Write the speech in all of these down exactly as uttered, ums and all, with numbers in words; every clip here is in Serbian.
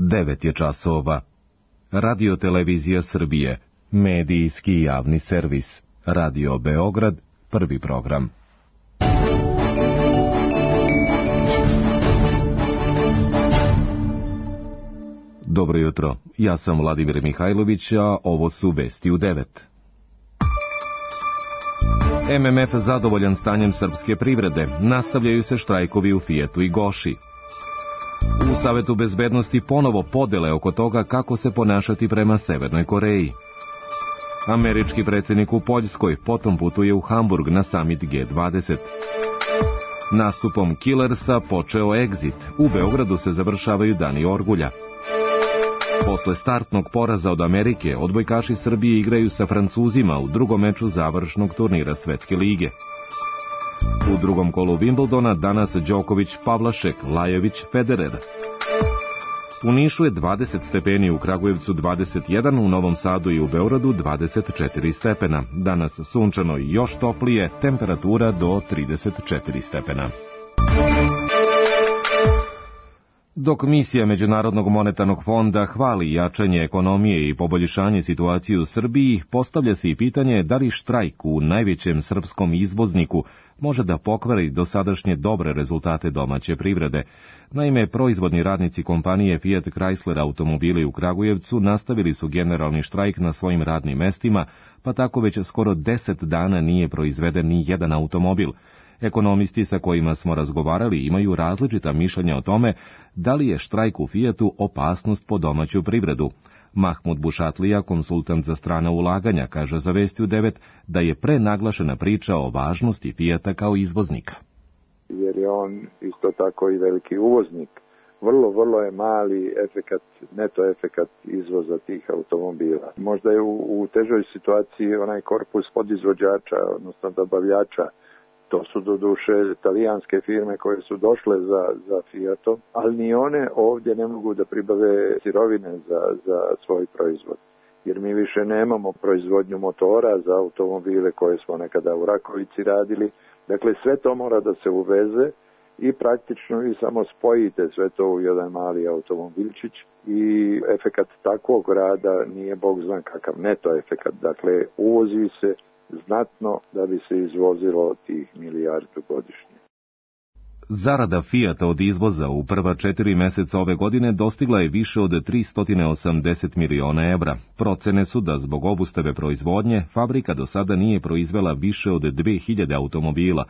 devet je časova. Radio Televizija Srbije, medijski javni servis. Radio Beograd, prvi program. Dobro jutro, ja sam Vladimir Mihajlović, a ovo su vesti u devet. M M F zadovoljan stanjem srpske privrede, nastavljaju se štrajkovi u Fijatu i Goši. U Savetu bezbednosti ponovo podele oko toga kako se ponašati prema Severnoj Koreji. Američki predsjednik u Poljskoj potom putuje u Hamburg na summit G dvadeset. Nastupom Killersa počeo Exit, u Beogradu se završavaju dani orgulja. Posle startnog poraza od Amerike, odbojkaši Srbije igraju sa Francuzima u drugom meču završnog turnira Svetske lige. U drugom kolu Wimbledona danas Đoković, Pavlašek, Lajović, Federer. U Nišu je dvadeset stepeni, u Kragujevcu dvadeset jedan, u Novom Sadu i u Beogradu dvadeset četiri stepena. Danas sunčano i još toplije, temperatura do trideset četiri stepena. Dok misija Međunarodnog monetarnog fonda hvali jačanje ekonomije i poboljšanje situacije u Srbiji, postavlja se i pitanje da li štrajk u najvećem srpskom izvozniku može da pokvari dosadašnje dobre rezultate domaće privrede. Naime, proizvodni radnici kompanije Fiat Chrysler automobili u Kragujevcu nastavili su generalni štrajk na svojim radnim mestima, pa tako već skoro deset dana nije proizveden ni jedan automobil. Ekonomisti sa kojima smo razgovarali imaju različita mišljenja o tome da li je štrajk u Fijatu opasnost po domaću privredu. Mahmud Bušatlija, konsultant za strana ulaganja, kaže za Vesti u devet da je prenaglašena priča o važnosti Fijata kao izvoznika. Jer je on isto tako i veliki uvoznik. Vrlo, vrlo je mali efekat, neto efekat izvoza tih automobila. Možda je u, u težoj situaciji onaj korpus podizvođača, odnosno dobavljača. To su doduše italijanske firme koje su došle za, za Fiatom, ali ni one ovdje ne mogu da pribave sirovine za, za svoj proizvod. Jer mi više nemamo proizvodnju motora za automobile koje smo nekada u Rakovici radili. Dakle, sve to mora da se uveze i praktično vi samo spojite sve to u jedan mali automobilčić i efekat takvog rada nije bog zna kakav neto efekat. Dakle, uvozi se znatno da bi se izvozilo tih milijardu godišnje. Zarada Fijata od izvoza u prva četiri meseca ove godine dostigla je više od tristo osamdeset miliona evra. Procene su da zbog obustave proizvodnje fabrika do sada nije proizvela više od dve hiljade automobila.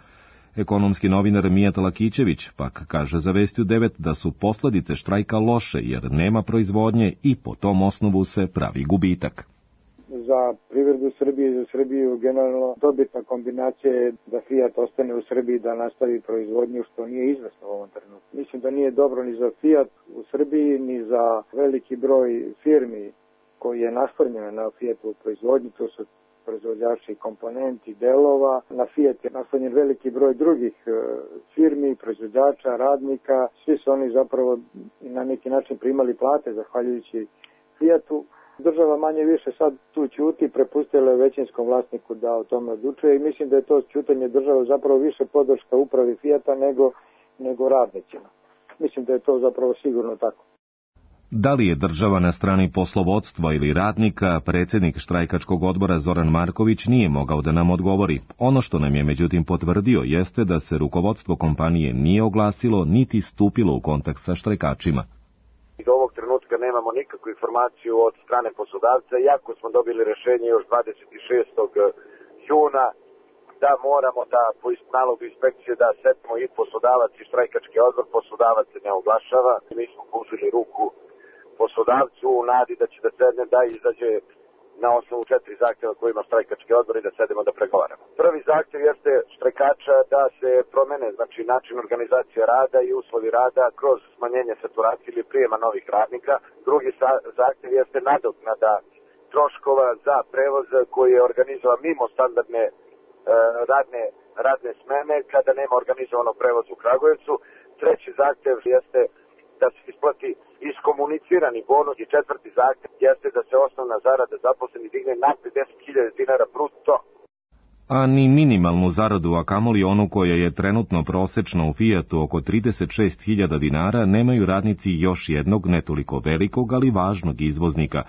Ekonomski novinar Mijat Lakićević pak kaže za Vesti u devet da su posljedice štrajka loše jer nema proizvodnje i po tom osnovu se pravi gubitak. Za privredu Srbije i za Srbiju generalno dobitna kombinacija je da Fiat ostane u Srbiji, da nastavi proizvodnju, što nije izvesno u ovom trenutku. Mislim da nije dobro ni za Fiat u Srbiji, ni za veliki broj firmi koji je naslonjen na Fiatovu proizvodnju, to su proizvođači komponenti, delova. Na Fiat je naslonjen veliki broj drugih firmi, proizvođača, radnika. Svi su oni zapravo na neki način primali plate zahvaljujući Fiatu. Država manje više sad tu ćuti, prepustila je većinskom vlasniku da o tome odlučuje i mislim da je to ćutanje države zapravo više podrška upravi Fijata nego, nego radnicima. Mislim da je to zapravo sigurno tako. Da li je država na strani poslovodstva ili radnika, predsjednik štrajkačkog odbora Zoran Marković nije mogao da nam odgovori. Ono što nam je međutim potvrdio jeste da se rukovodstvo kompanije nije oglasilo niti stupilo u kontakt sa štrajkačima. Do ovog trenutka nemamo nikakvu informaciju od strane poslodavca, iako smo dobili rješenje još dvadeset šestog juna da moramo da po nalogu inspekcije da setimo i poslodavac i štrajkački odbor. Poslodavac se ne oglašava. Mi smo pružili ruku poslodavcu u nadi da će da sedne, da izađe na osnovu četiri zahtjeva koje ima štrajkački odbor i da sedemo da pregovaramo. Prvi zahtjev jeste štrajkača da se promene, znači način organizacije rada i uslovi rada kroz smanjenje saturacije ili prijema novih radnika. Drugi zahtjev jeste nadoknada troškova za prevoz koji je organizovan mimo standardne e, radne, radne smene kada nema organizovanog prevoza u Kragujevcu. Treći zahtjev jeste da se isplati iskomunicirani bonus i četvrti zahtjev jeste da se osnovna zarada zaposlenih digne na pedeset hiljada dinara bruto. a ni minimalnu zaradu, a kamoli onu koja je trenutno prosečna u Fijatu oko trideset šest hiljada dinara, nemaju radnici još jednog ne toliko velikog, ali važnog izvoznika.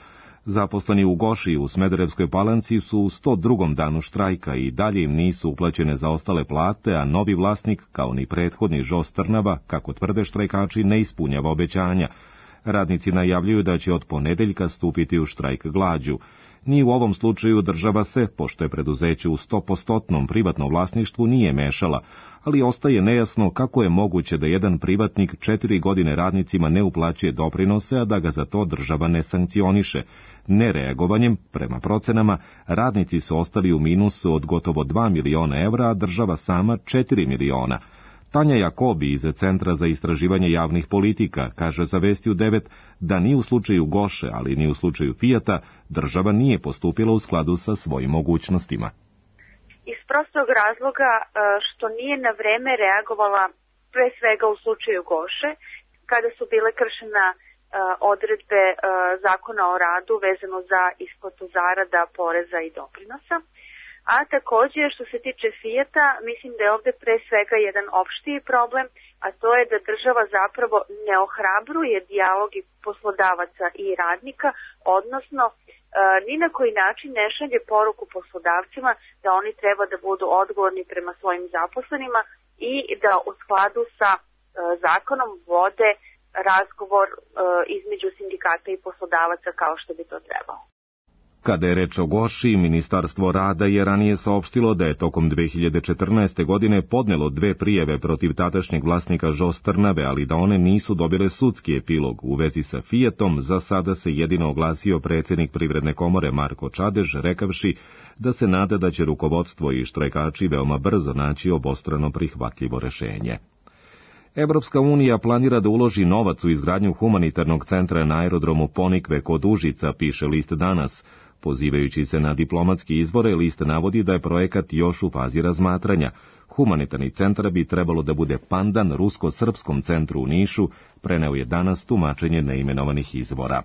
Zaposleni u Goši u Smederevskoj Palanci su u sto drugom danu štrajka i dalje im nisu uplaćene zaostale plate, a novi vlasnik, kao ni prethodni Žos Trnava, kako tvrde štrajkači, ne ispunjava obećanja. Radnici najavljuju da će od ponedeljka stupiti u štrajk glađu. Ni u ovom slučaju država se, pošto je preduzeće u stopostotnom privatnom vlasništvu, nije mešala, ali ostaje nejasno kako je moguće da jedan privatnik četiri godine radnicima ne uplaćuje doprinose, a da ga za to država ne sankcioniše. Nereagovanjem, prema procenama, radnici su ostali u minusu od gotovo dva miliona evra, a država sama četiri miliona. Tanja Jakobi iz Centra za istraživanje javnih politika kaže za Vesti u devet da ni u slučaju Goše, ali ni u slučaju Fijata, država nije postupila u skladu sa svojim mogućnostima. Iz prostog razloga što nije na vreme reagovala pre svega u slučaju Goše, kada su bile kršena odredbe Zakona o radu vezano za isplatu zarada, poreza i doprinosa. A također, što se tiče Fijata, mislim da je ovde pre svega jedan opštiji problem, a to je da država zapravo ne ohrabruje dijalog poslodavaca i radnika, odnosno e, ni na koji način ne šalje poruku poslodavcima da oni treba da budu odgovorni prema svojim zaposlenima i da u skladu sa e, zakonom vode razgovor e, između sindikata i poslodavaca kao što bi to trebalo. Kada je reč o Goši, Ministarstvo rada je ranije saopštilo da je tokom dve hiljade četrnaeste. godine podnelo dve prijave protiv tadašnjeg vlasnika Žos Trnave, ali da one nisu dobile sudski epilog. U vezi sa Fijatom za sada se jedino oglasio predsjednik Privredne komore Marko Čadež, rekavši da se nada da će rukovodstvo i štrajkači veoma brzo naći obostrano prihvatljivo rešenje. Evropska unija planira da uloži novac u izgradnju humanitarnog centra na aerodromu Ponikve kod Užica, piše list Danas. Pozivajući se na diplomatski izvore, list navodi da je projekat još u fazi razmatranja. Humanitarni centar bi trebalo da bude pandan rusko-srpskom centru u Nišu, preneo je Danas tumačenje neimenovanih izvora.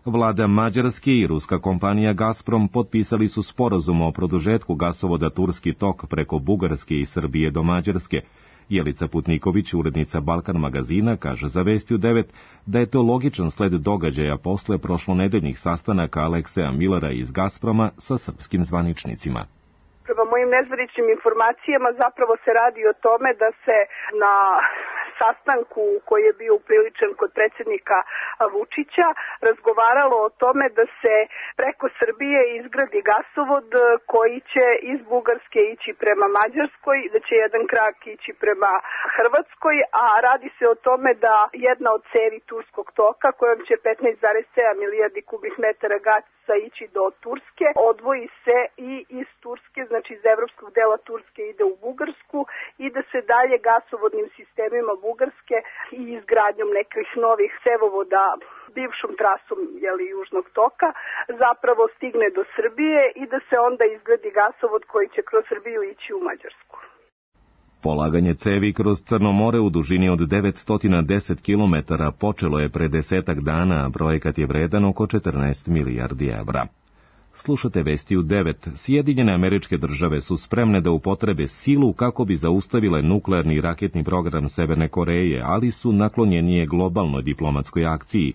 Vlada Mađarske i ruska kompanija Gazprom potpisali su sporazum o produžetku gasovoda Turski tok preko Bugarske i Srbije do Mađarske. Jelica Putniković, urednica Balkan magazina, kaže za Vesti u devet da je to logičan sled događaja posle prošlonedeljnih sastanaka Alekseja Millera iz Gazproma sa srpskim zvaničnicima. Prema mojim nezvaničnim informacijama zapravo se radi o tome da se na sastanku koji je bio upriličen kod predsjednika Vučića razgovaralo o tome da se preko Srbije izgradi gasovod koji će iz Bugarske ići prema Mađarskoj, da će jedan krak ići prema Hrvatskoj, a radi se o tome da jedna od cevi Turskog toka, kojom će petnaest zarez sedam milijardi kubnih metara gasa ići do Turske, odvoji se i iz Turske, znači iz evropskog dela Turske ide u Bugarsku i da se dalje gasovodnim sistemima Bugarske i izgradnjom nekih novih cevovoda bivšom trasom jeli, južnog toka zapravo stigne do Srbije i da se onda izgradi gasovod koji će kroz Srbiju ići u Mađarsku. Polaganje cevi kroz Crno more u dužini od devetsto deset kilometara počelo je pre desetak dana, a projekat je vredan oko četrnaest milijardi evra. Slušate Vesti u devet. Sjedinjene Američke Države su spremne da upotrebe silu kako bi zaustavile nuklearni i raketni program Severne Koreje, ali su naklonjenije globalnoj diplomatskoj akciji,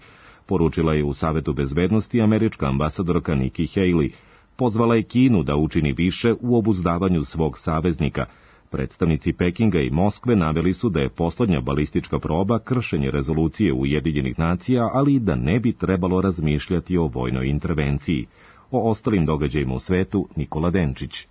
poručila je u Savetu bezbednosti američka ambasadorka Nikki Haley. Pozvala je Kinu da učini više u obuzdavanju svog saveznika. Predstavnici Pekinga i Moskve naveli su da je poslednja balistička proba kršenje rezolucije Ujedinjenih nacija, ali i da ne bi trebalo razmišljati o vojnoj intervenciji. O ostalim događajima u svetu Nikola Denčić.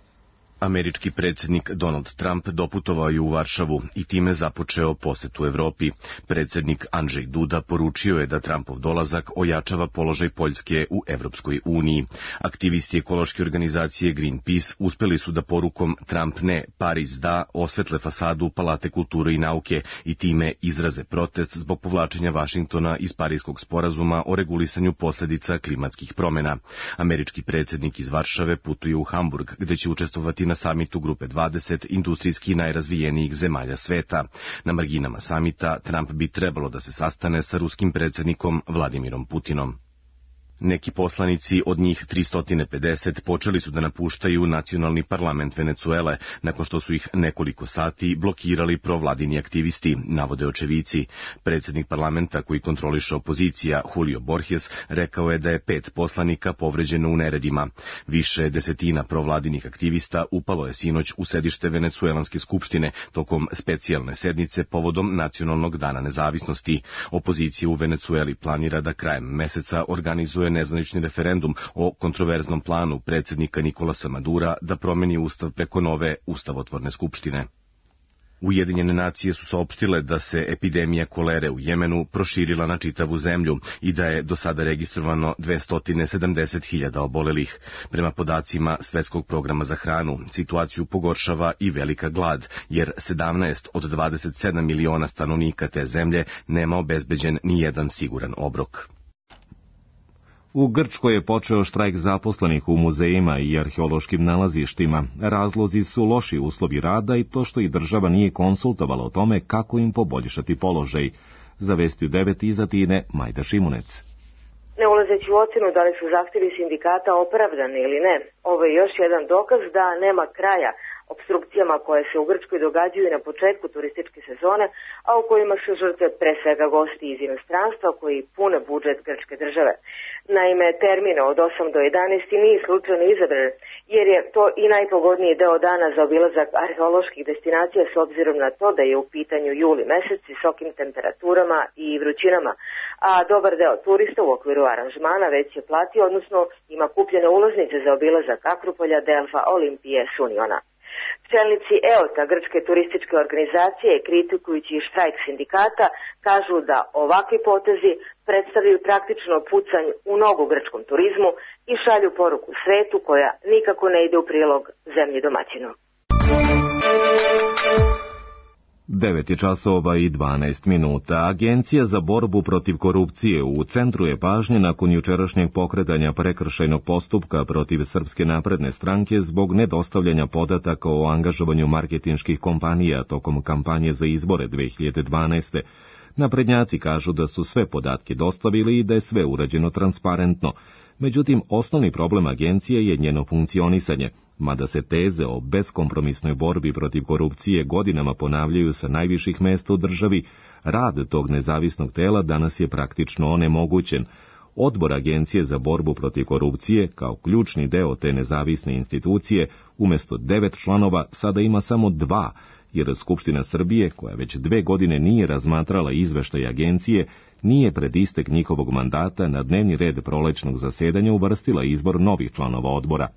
Američki predsjednik Donald Trump doputovao je u Varšavu i time započeo posetu Evropi. Predsjednik Andrzej Duda poručio je da Trumpov dolazak ojačava položaj Poljske u Evropskoj uniji. Aktivisti ekološke organizacije Greenpeace uspeli su da porukom Trump ne, Pariz da osvetle fasadu Palate kulture i nauke i time izraze protest zbog povlačenja Vašingtona iz Parijskog sporazuma o regulisanju posljedica klimatskih promjena. Američki predsjednik iz Varšave putuje u Hamburg, gde će učestvovati na samitu Grupe dvadeset industrijski najrazvijenijih zemalja sveta. Na marginama samita Trump bi trebalo da se sastane sa ruskim predsjednikom Vladimirom Putinom. Neki poslanici, od njih tristo pedeset, počeli su da napuštaju nacionalni parlament Venecuele, nakon što su ih nekoliko sati blokirali provladini aktivisti, navode očevici. Predsjednik parlamenta koji kontroliše opozicija, Julio Borges, rekao je da je pet poslanika povređeno u neredima. Više desetina provladinih aktivista upalo je sinoć u sedište Venecuelanske skupštine tokom specijalne sednice povodom Nacionalnog dana nezavisnosti. Opozicija u Venecueli planira da krajem meseca organizuje nezvanični referendum o kontroverznom planu predsjednika Nikolasa Madura da promeni ustav preko nove ustavotvorne skupštine. Ujedinjene nacije su saopštile da se epidemija kolere u Jemenu proširila na čitavu zemlju i da je do sada registrovano dvesta sedamdeset hiljada obolelih. Prema podacima Svetskog programa za hranu, situaciju pogoršava i velika glad, jer sedamnaest od dvadeset sedam miliona stanovnika te zemlje nema obezbeđen ni jedan siguran obrok. U Grčkoj je počeo štrajk zaposlenih u muzejima i arheološkim nalazištima. Razlozi su loši uslovi rada i to što i država nije konsultovala o tome kako im poboljšati položaj. Za Vesti u devet iz Atine, Majda Šimunec. Ne ulazeći u ocenu da li su zahtjevi sindikata opravdani ili ne, ovo je još jedan dokaz da nema kraja opstrukcijama koje se u Grčkoj događaju na početku turističke sezone, a u kojima su žrtve pre svega gosti iz inostranstva koji pune budžet grčke države. Naime, termine od osam do jedanaest nije slučajno izabran, jer je to i najpogodniji deo dana za obilazak arheoloških destinacija s obzirom na to da je u pitanju juli mesec s visokim temperaturama i vrućinama, a dobar deo turista u okviru aranžmana već je platio, odnosno ima kupljene ulaznice za obilazak Akropolja, Delfa, Olimpije, Suniona. Čelnici E O T-a, grčke turističke organizacije, kritikujući štrajk sindikata, kažu da ovakvi potezi predstavljaju praktično pucanj u nogu grčkom turizmu i šalju poruku svetu koja nikako ne ide u prilog zemlji domaćinu. devet je časova i dvanaest minuta. Agencija za borbu protiv korupcije u centru je pažnje nakon jučerašnjeg pokretanja prekršajnog postupka protiv Srpske napredne stranke zbog nedostavljanja podataka o angažovanju marketinških kompanija tokom kampanje za izbore dve hiljade dvanaeste. Naprednjaci kažu da su sve podatke dostavili i da je sve urađeno transparentno. Međutim, osnovni problem agencije je njeno funkcionisanje. Mada se teze o beskompromisnoj borbi protiv korupcije godinama ponavljaju sa najviših mesta u državi, rad tog nezavisnog tela danas je praktično onemogućen. Odbor Agencije za borbu protiv korupcije, kao ključni deo te nezavisne institucije, umjesto devet članova sada ima samo dva, jer Skupština Srbije, koja već dve godine nije razmatrala izveštaj agencije, nije pred istek njihovog mandata na dnevni red prolećnog zasedanja uvrstila izbor novih članova odbora.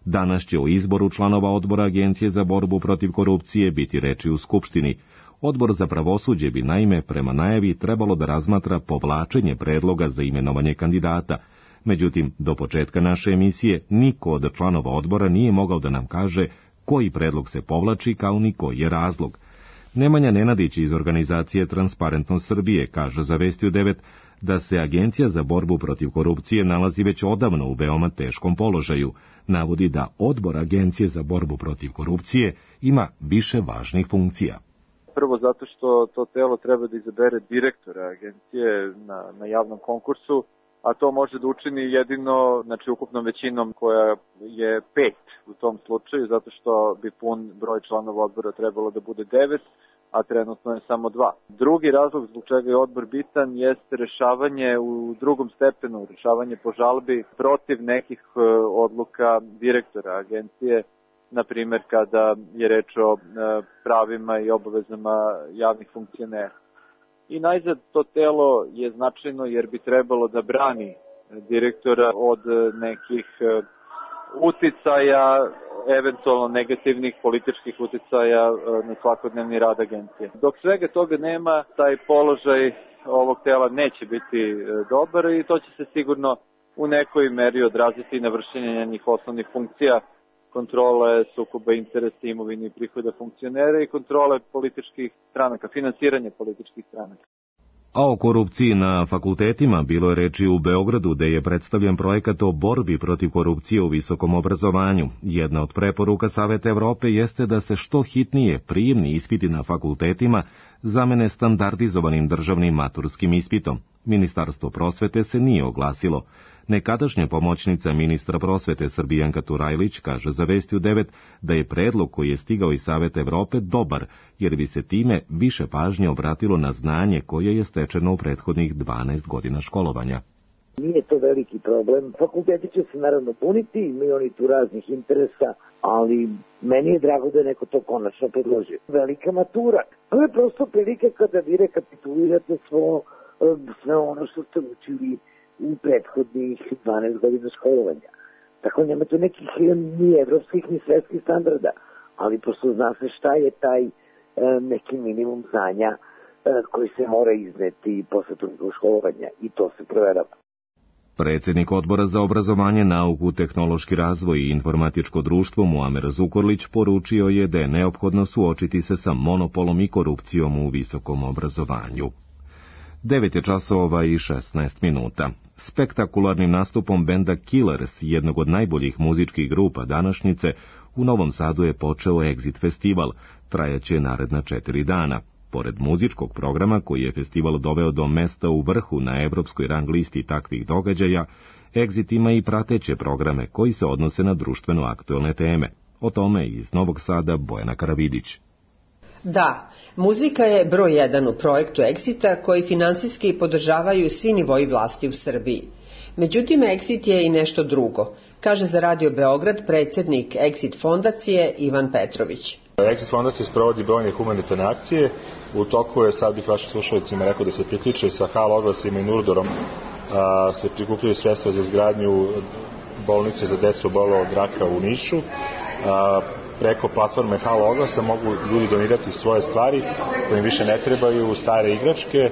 Danas će o izboru članova odbora Agencije za borbu protiv korupcije biti reči u Skupštini. Odbor za pravosuđe bi naime prema najavi trebalo da razmatra povlačenje predloga za imenovanje kandidata. Međutim, do početka naše emisije niko od članova odbora nije mogao da nam kaže koji predlog se povlači kao ni koji je razlog. Nemanja Nenadić iz organizacije Transparentnost Srbije kaže za Vesti u devet da se Agencija za borbu protiv korupcije nalazi već odavno u veoma teškom položaju. Navodi da odbor Agencije za borbu protiv korupcije ima više važnih funkcija. Prvo zato što to telo treba da izabere direktora agencije na, na javnom konkursu, a to može da učini jedino, znači ukupnom većinom koja je pet u tom slučaju, zato što bi pun broj članova odbora trebalo da bude devet, a trenutno je samo dva. Drugi razlog zbog čega je odbor bitan jeste rešavanje u drugom stepenu, rešavanje po žalbi protiv nekih odluka direktora agencije, na primjer kada je reč o pravima i obavezama javnih funkcionera. I najzad to telo je značajno jer bi trebalo da brani direktora od nekih uticaja, eventualno negativnih političkih uticaja na svakodnevni rad agencije. Dok svega toga nema, taj položaj ovog tela neće biti dobar i to će se sigurno u nekoj meri odraziti na vršenje njenih osnovnih funkcija, kontrole sukoba interesa, imovine i prihoda funkcionera i kontrole političkih stranaka, finansiranje političkih stranaka. A o korupciji na fakultetima bilo je reči u Beogradu, gde je predstavljen projekat o borbi protiv korupcije u visokom obrazovanju. Jedna od preporuka Saveta Evrope jeste da se što hitnije prijemni ispiti na fakultetima zamene standardizovanim državnim maturskim ispitom. Ministarstvo prosvete se nije oglasilo. Nekadašnja pomoćnica ministra prosvete Srbijanka Turajlić kaže za Vesti u devet da je predlog koji je stigao iz Saveta Evrope dobar, jer bi se time više pažnje obratilo na znanje koje je stečeno u prethodnih dvanaest godina školovanja. Nije to veliki problem. Fakulteti će se naravno puniti, imaju oni tu raznih interesa, ali meni je drago da je neko to konačno predložio. Velika matura. To je prosto prilika kada vi rekapitulirate svo, sve ono što ste učili u prethodnih dvanaest godina školovanja. Tako nema tu nekih ni evropskih ni svetskih standarda, ali prosto zna se šta je taj e, neki minimum znanja e, koji se mora izneti posle toliko školovanja i to se proverava. Predsjednik Odbora za obrazovanje, nauku, tehnološki razvoj i informatičko društvo Muamer Zukorlić poručio je da je neophodno suočiti se sa monopolom i korupcijom u visokom obrazovanju. devet je časova i šesnaest minuta. Spektakularnim nastupom benda Killers, jednog od najboljih muzičkih grupa današnjice, u Novom Sadu je počeo Exit festival, trajaće naredna četiri dana. Pored muzičkog programa koji je festival doveo do mesta u vrhu na evropskoj rang listi takvih događaja, Exit ima i prateće programe koji se odnose na društveno aktuelne teme. O tome iz Novog Sada Bojana Karavidić. Da, muzika je broj jedan u projektu Exita koji finansijski podržavaju svi nivoji vlasti u Srbiji. Međutim, Exit je i nešto drugo, kaže za Radio Beograd predsjednik Exit fondacije Ivan Petrović. Exit fondacija sprovodi brojne humanitarne akcije. U toku je, sad bih vašim slušalicima rekao da se priključe sa Halo oglasima i Nurdorom, a, se prikupljaju sredstva za izgradnju bolnice za decu obolelo od raka u Nišu. A, preko platforme Halo oglasa mogu ljudi donirati svoje stvari koje im više ne trebaju, stare igračke.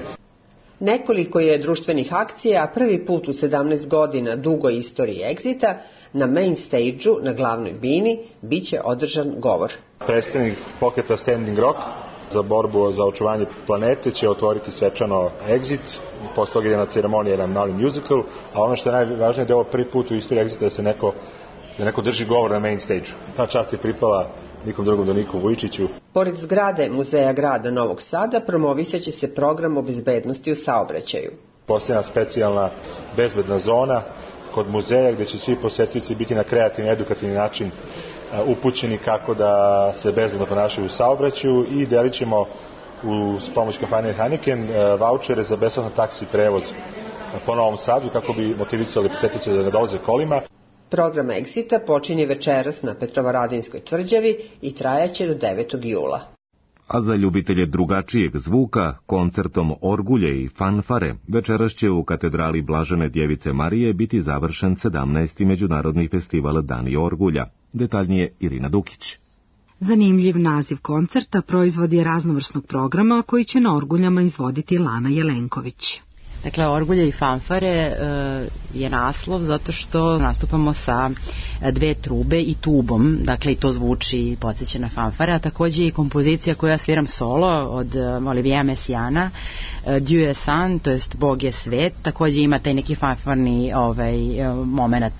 Nekoliko je društvenih akcija, a prvi put u sedamnaest godina dugoj istoriji Exita na main stage-u na glavnoj bini biće održan govor. Predstavnik pokreta Standing Rock za borbu za očuvanje planete će otvoriti svečano Exit, posle toga ide na ceremoniju jedan mali musical, a ono što je najvažnije da je ovo prvi put u istoriji Exita da se neko, da neko drži govor na main stage-u. Ta čast je pripala nikom drugom do Niku Vujčiću. Pored zgrade Muzeja grada Novog Sada promovisat će se program o bezbednosti u saobraćaju. Postoji specijalna bezbedna zona kod muzeja gdje će svi posetioci biti na kreativni, edukativni način upućeni kako da se bezbedno ponašaju u saobraćaju i delit ćemo uz pomoć kompanije Heineken vaučere za besplatan taksi prevoz po Novom Sadu kako bi motivisali posetioce da ne dolaze kolima. Program Exita počinje večeras na Petrovaradinskoj tvrđavi i trajaće do devetog jula. A za ljubitelje drugačijeg zvuka, koncertom orgulje i fanfare, večeras će u katedrali Blažene Djevice Marije biti završen sedamnaesti međunarodni festival Dani orgulja. Detaljnije Irina Dukić. Zanimljiv naziv koncerta proizvod je raznovrsnog programa koji će na orguljama izvoditi Lana Jelenković. Dakle, orgulje i fanfare e, je naslov zato što nastupamo sa dve trube i tubom, dakle i to zvuči i podsjeća na fanfare, a takođe i kompozicija koju ja sviram solo od Olivia Messiana, e, Dieu est sant, to jest Bog je svet, takođe ima taj neki fanfarni ovaj, moment.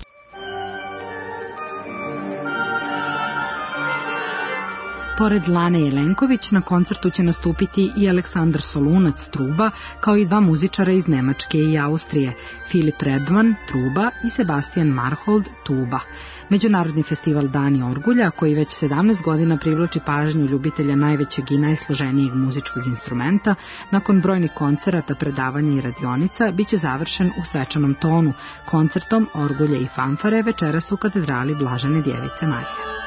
Pored Lane Jelenković na koncertu će nastupiti i Aleksandar Solunac truba, kao i dva muzičara iz Nemačke i Austrije, Filip Redman truba i Sebastian Marhold tuba. Međunarodni festival Dani orgulja, koji već sedamnaest godina privlači pažnju ljubitelja najvećeg i najsloženijeg muzičkog instrumenta, nakon brojnih koncerata, predavanja i radionica, biće završen u svečanom tonu, koncertom orgulje i fanfare večeras u katedrali Blažene Djevice Marije.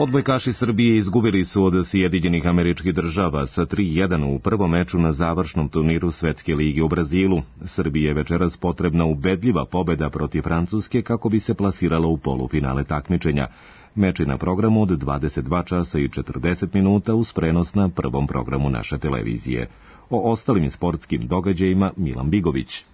Odbojkaši Srbije izgubili su od Sjedinjenih Američkih Država sa tri jedan u prvom meču na završnom turniru Svetske lige u Brazilu. Srbiji je večeras potrebna ubedljiva pobeda protiv Francuske kako bi se plasirala u polufinale takmičenja. Meč je na programu od dvadeset dva časa i četrdeset minuta uz prenos na prvom programu naše televizije. O ostalim sportskim događajima Milan Bigović.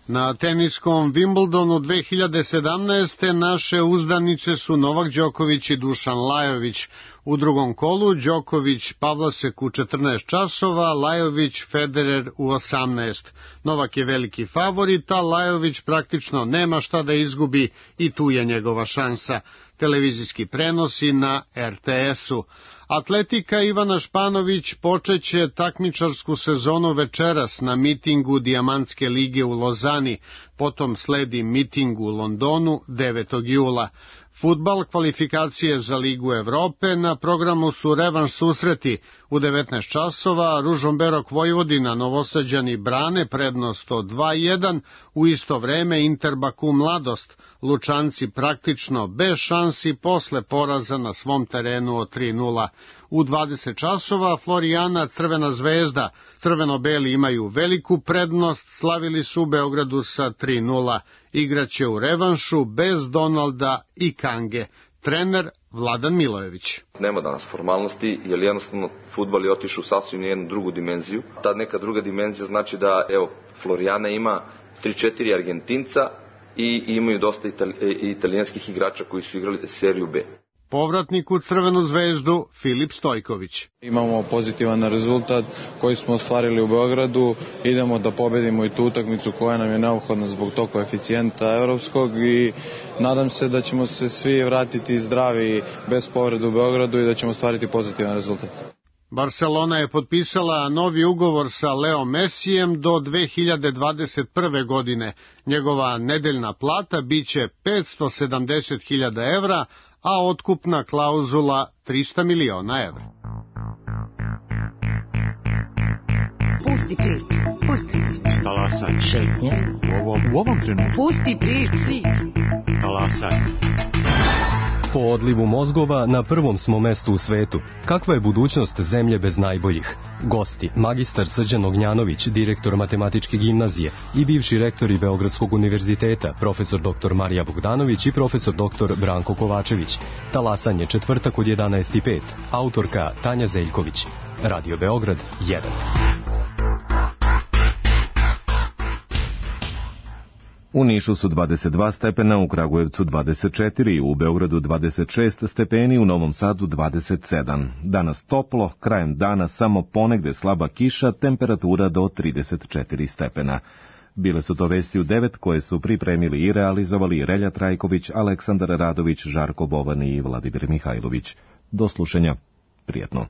Na teniskom Wimbledonu dve hiljade sedamnaeste. naše uzdanice su Novak Đoković i Dušan Lajović. U drugom kolu Đoković Pavlasek u četrnaest časova, Lajović Federer u osamnaest. Novak je veliki favorit, a Lajović praktično nema šta da izgubi i tu je njegova šansa. Televizijski prenosi na er te esu. Atletika Ivana Španović počeće takmičarsku sezonu večeras na mitingu Dijamantske lige u Lozani, potom sledi miting u Londonu devetog jula. Fudbal, kvalifikacije za Ligu Evrope, na programu su revanš susreti. U devetnaest časova Ružomberok Vojvodina, Novosađani brane prednost od dva jedan, u isto vreme Interbaku Mladost, Lučanci praktično bez šansi posle poraza na svom terenu od tri nula. U dvadeset časova Florijana Crvena zvezda, crveno-beli imaju veliku prednost, slavili su u Beogradu sa tri nula. Igraće u revanšu bez Donalda i Kange. Trener Vladan Milojević. Nema danas formalnosti, jer jednostavno fudbal je otišao u sasvim jednu drugu dimenziju. Ta neka druga dimenzija znači da, evo, Florijana ima tri četiri Argentinca i imaju dosta itali, italijanskih igrača koji su igrali seriju B. Povratnik u Crvenu zvezdu Filip Stojković. Imamo pozitivan rezultat koji smo ostvarili u Beogradu, idemo da pobedimo i tu utakmicu koja nam je neophodna zbog tog koeficijenta evropskog i nadam se da ćemo se svi vratiti zdravi bez povrede u Beogradu i da ćemo ostvariti pozitivan rezultat. Barcelona je potpisala novi ugovor sa Leo Messijem do dve hiljade dvadeset prve. godine. Njegova nedeljna plata biće petsto sedamdeset hiljada evra, a otkupna klauzula trista miliona evra. Pusti priču, pusti priču. Talasaj. Šetnje. U ovom, u ovom trenutku. Pusti priču. Talasaj. Po odlivu mozgova na prvom smo mestu u svetu. Kakva je budućnost zemlje bez najboljih? Gosti, magistar Srđan Ognjanović, direktor Matematičke gimnazije i bivši rektori Beogradskog univerziteta, profesor doktor Marija Bogdanović i profesor doktor Branko Kovačević. Talasanje četvrtak od jedanaest i pet. Autorka Tanja Zeljković. Radio Beograd jedan. U Nišu su dvadeset dva stepena, u Kragujevcu dvadeset četiri, u Beogradu dvadeset šest stepeni, u Novom Sadu dvadeset sedam. Danas toplo, krajem dana samo ponegde slaba kiša, temperatura do trideset četiri stepena. Bile su to vesti u devet koje su pripremili i realizovali Relja Trajković, Aleksandar Radović, Žarko Bovan i Vladimir Mihajlović. Do slušanja. Prijetno.